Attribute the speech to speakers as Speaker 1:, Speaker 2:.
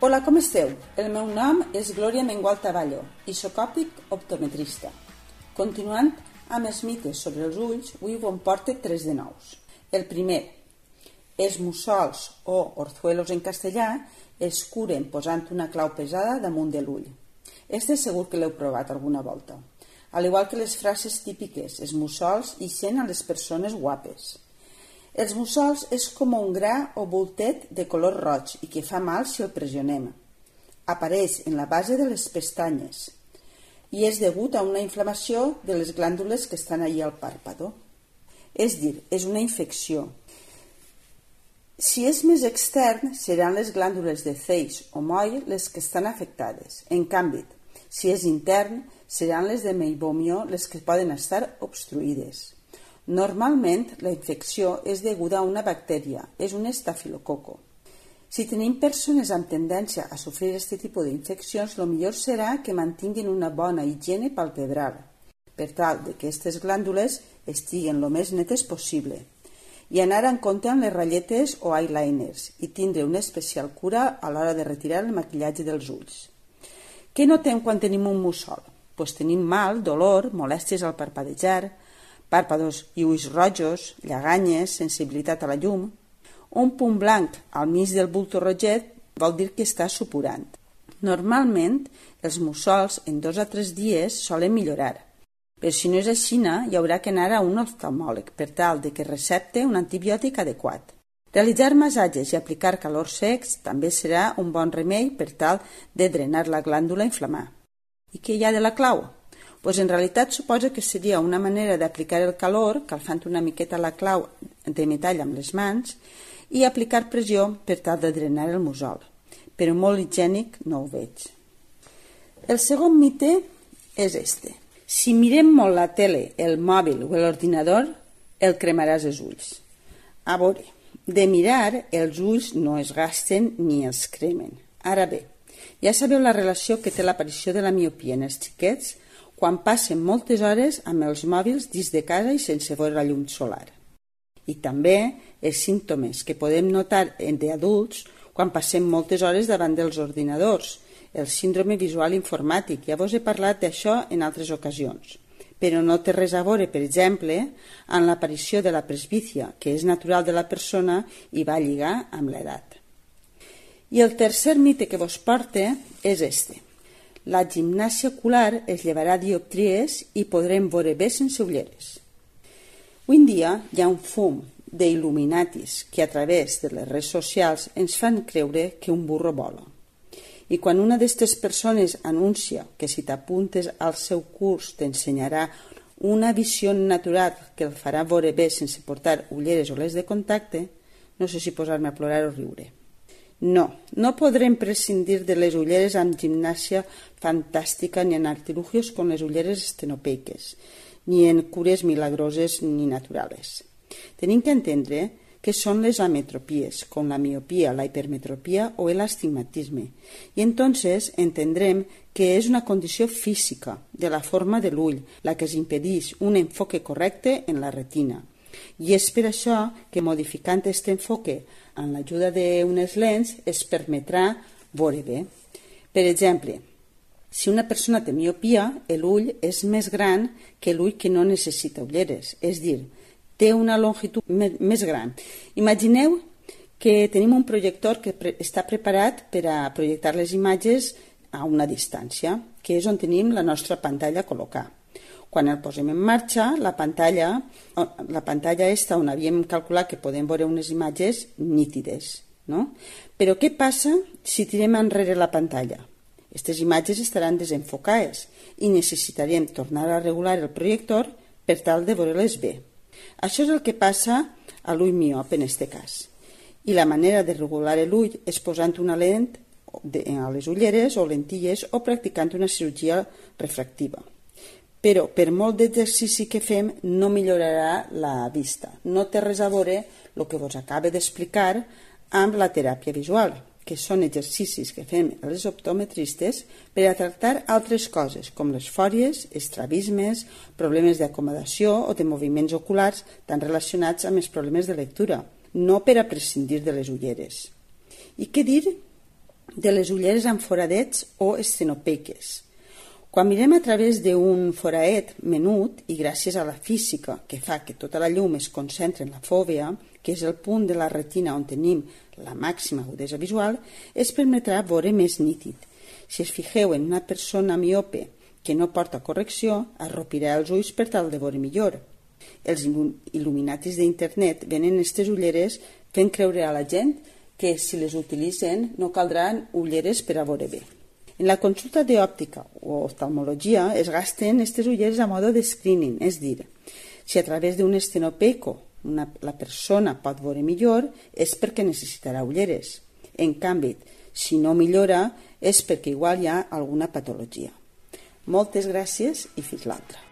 Speaker 1: Hola, com esteu? El meu nom és Glòria Mengual Taballo i soc òptic optometrista. Continuant amb els mites sobre els ulls, avui us en porto 3 de nous. El primer, els mussols o orzuelos en castellà es curen posant una clau pesada damunt de l'ull. Este segur que l'heu provat alguna volta. Al igual que les frases típiques, els mussols ixen a les persones guapes. Els mussols és com un gra o voltet de color roig i que fa mal si el pressionem. Apareix en la base de les pestanyes i és degut a una inflamació de les glàndules que estan allí al pàrpado. És dir, és una infecció. Si és més extern, seran les glàndules de Zeiss o moll les que estan afectades. En canvi, si és intern, seran les de Meibomió les que poden estar obstruïdes. Normalment, la infecció és deguda a una bactèria, és un estafilococo. Si tenim persones amb tendència a sofrir aquest tipus d'infeccions, el millor serà que mantinguin una bona higiene palpebral, per tal que aquestes glàndules estiguen el més netes possible, i anar en compte amb les ratlletes o eyeliners i tindre una especial cura a l'hora de retirar el maquillatge dels ulls. Què notem quan tenim un mussol? Pues tenim mal, dolor, molèsties al parpadejar, pàrpados i ulls rojos, lleganyes, sensibilitat a la llum. Un punt blanc al mig del bulto roget vol dir que està supurant. Normalment, els mussols en 2 a 3 dies solen millorar, però si no és així, hi haurà que anar a un oftalmòleg per tal de que recepte un antibiòtic adequat. Realitzar massatges i aplicar calors secs també serà un bon remei per tal de drenar la glàndula a inflamar. I què hi ha de la clau? Pues en realitat suposa que seria una manera d'aplicar el calor, calfant una miqueta la clau de metall amb les mans, i aplicar pressió per tal de drenar el mussol. Però molt higiènic no ho veig. El segon mite és este. Si mirem molt la tele, el mòbil o l'ordinador, el cremaràs els ulls. A veure, de mirar, els ulls no es gasten ni els cremen. Ara bé, ja sabeu la relació que té l'aparició de la miopia en els xiquets quan passen moltes hores amb els mòbils dins de casa i sense veure la llum solar. I també els símptomes que podem notar entre adults quan passem moltes hores davant dels ordinadors, el síndrome visual informàtic. Ja vos he parlat d'això en altres ocasions, però no té res a veure, per exemple, amb l'aparició de la presbícia, que és natural de la persona i va lligar amb l'edat. I el tercer mite que vos porte és este. La gimnàsia ocular es llevarà dioptries i podrem veure bé sense ulleres. Avui en dia hi ha un fum d'il·luminatis que a través de les redes socials ens fan creure que un burro vola. I quan una d'aquestes persones anuncia que si t'apuntes al seu curs t'ensenyarà una visió natural que el farà veure bé sense portar ulleres o les de contacte, no sé si posar-me a plorar o riure. No podrem prescindir de les ulleres amb gimnàsia fantàstica ni en artilugios com les ulleres estenopeiques, ni en cures milagroses ni naturales. Tenim que entendre que són les ametropies, com la miopia, la hipermetropia o el astigmatisme, i entonces entendrem que és una condició física de la forma de l'ull, la que es impedeix un enfoque correcte en la retina. I és per això que modificant aquest enfoque amb l'ajuda d'unes lents es permetrà veure bé. Per exemple, si una persona té miopia, l'ull és més gran que l'ull que no necessita ulleres, és dir, té una longitud més gran. Imagineu que tenim un projector que està preparat per a projectar les imatges a una distància, que és on tenim la nostra pantalla a col·locar. Quan el posem en marxa, la pantalla està on havíem calculat que podem veure unes imatges nítides, no? Però què passa si tirem enrere la pantalla? Aquestes imatges estaran desenfocades i necessitarem tornar a regular el projector per tal de veure-les bé. Això és el que passa a l'ull miop en aquest cas. I la manera de regular l'ull és posant una lent a les ulleres o lentilles o practicant una cirurgia refractiva. Però per molt d'exercici que fem no millorarà la vista. No té res a veure el que vos acabo d'explicar amb la teràpia visual, que són exercicis que fem els optometristes per a tractar altres coses, com les fòries, estrabismes, problemes d'acomodació o de moviments oculars tan relacionats amb els problemes de lectura, no per a prescindir de les ulleres. I què dir de les ulleres amb foradets o estenopeiques. Quan mirem a través d'un foradet menut i gràcies a la física que fa que tota la llum es concentre en la fòvea, que és el punt de la retina on tenim la màxima agudesa visual, es permetrà veure més nítid. Si es fixeu en una persona miope que no porta correcció, arropirà els ulls per tal de veure millor. Els il·luminatis d'internet venen aquestes ulleres fent creure a la gent que si les utilitzen no caldran ulleres per a veure bé. En la consulta d'òptica o oftalmologia es gasten aquestes ulleres a mode de screening, és dir, si a través d'un estenopeico la persona pot veure millor és perquè necessitarà ulleres. En canvi, si no millora és perquè igual hi ha alguna patologia. Moltes gràcies i fins l'altra.